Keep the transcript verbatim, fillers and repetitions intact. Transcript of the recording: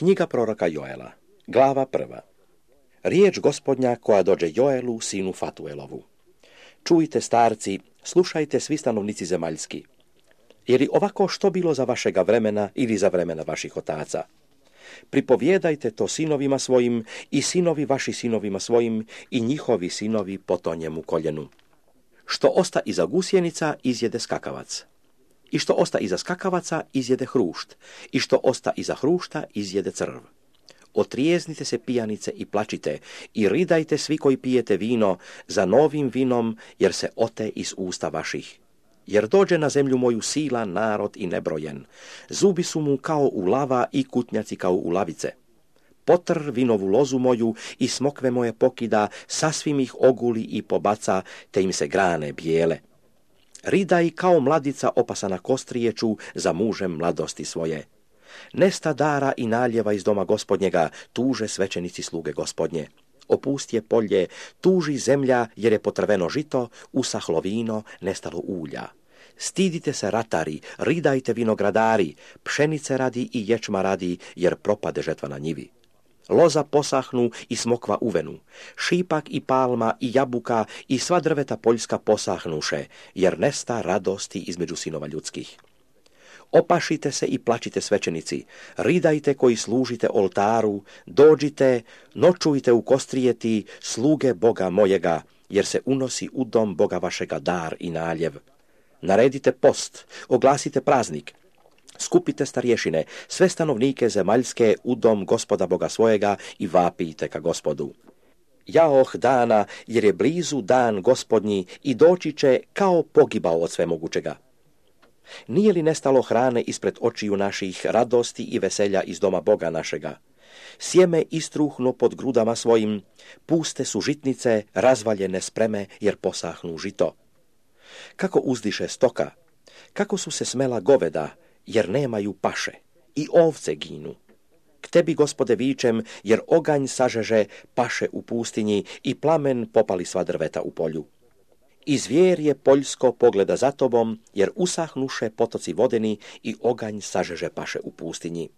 Knjiga proroka Joela, glava prva. Riječ Gospodnja koja dođe Joelu, sinu Fatuelovu. Čujte, starci, slušajte svi stanovnici zemaljski. Je li ovako što bilo za vašega vremena ili za vremena vaših otaca? Pripovjedajte to sinovima svojim i sinovi vaši sinovima svojim i njihovi sinovi po tonjemu koljenu. Što osta iza gusjenica, izjede skakavac. I što osta iza skakavaca, izjede hrušt. I što osta iza hrušta, izjede crv. Otrijeznite se, pijanice, i plačite, i ridajte svi koji pijete vino za novim vinom, jer se ote iz usta vaših. Jer dođe na zemlju moju silan narod i nebrojen. Zubi su mu kao u lava i kutnjaci kao u lavice. Potr vinovu lozu moju i smokve moje pokida, sasvim ih oguli i pobaca, te im se grane bijele. Ridaj kao mladica opasana kostrijeću za mužem mladosti svoje. Nesta dara i naljeva iz doma Gospodnjega, tuže svećenici sluge Gospodnje. Opustje polje, tuži zemlja, jer je potrveno žito, usahlo vino, nestalo ulja. Stidite se, ratari, ridajte vinogradari, pšenice radi i ječma radi, jer propade žetva na njivi. Loza posahnu i smokva uvenu, šipak i palma i jabuka i sva drveta poljska posahnuše, jer nesta radosti između sinova ljudskih. Opašite se i plačite svećenici, ridajte koji služite oltaru, dođite, noćujte u kostrijeti, sluge Boga mojega, jer se unosi u dom Boga vašega dar i naljev. Naredite post, oglasite praznik, skupite starješine, sve stanovnike zemaljske u dom Gospoda Boga svojega i vapijte ka Gospodu. Jaoh dana, jer je blizu dan Gospodnji i doći će kao pogibao od svemogućega. Nije li nestalo hrane ispred očiju naših, radosti i veselja iz doma Boga našega? Sjeme istruhno pod grudama svojim, puste su žitnice, razvaljene spreme, jer posahnu žito. Kako uzdiše stoka, kako su se smela goveda, jer nemaju paše, i ovce ginu. K tebi, Gospode, vičem, jer oganj sažeže paše u pustinji i plamen popali sva drveta u polju. I zvjerje poljsko pogleda za tobom, jer usahnuše potoci vodeni i oganj sažeže paše u pustinji.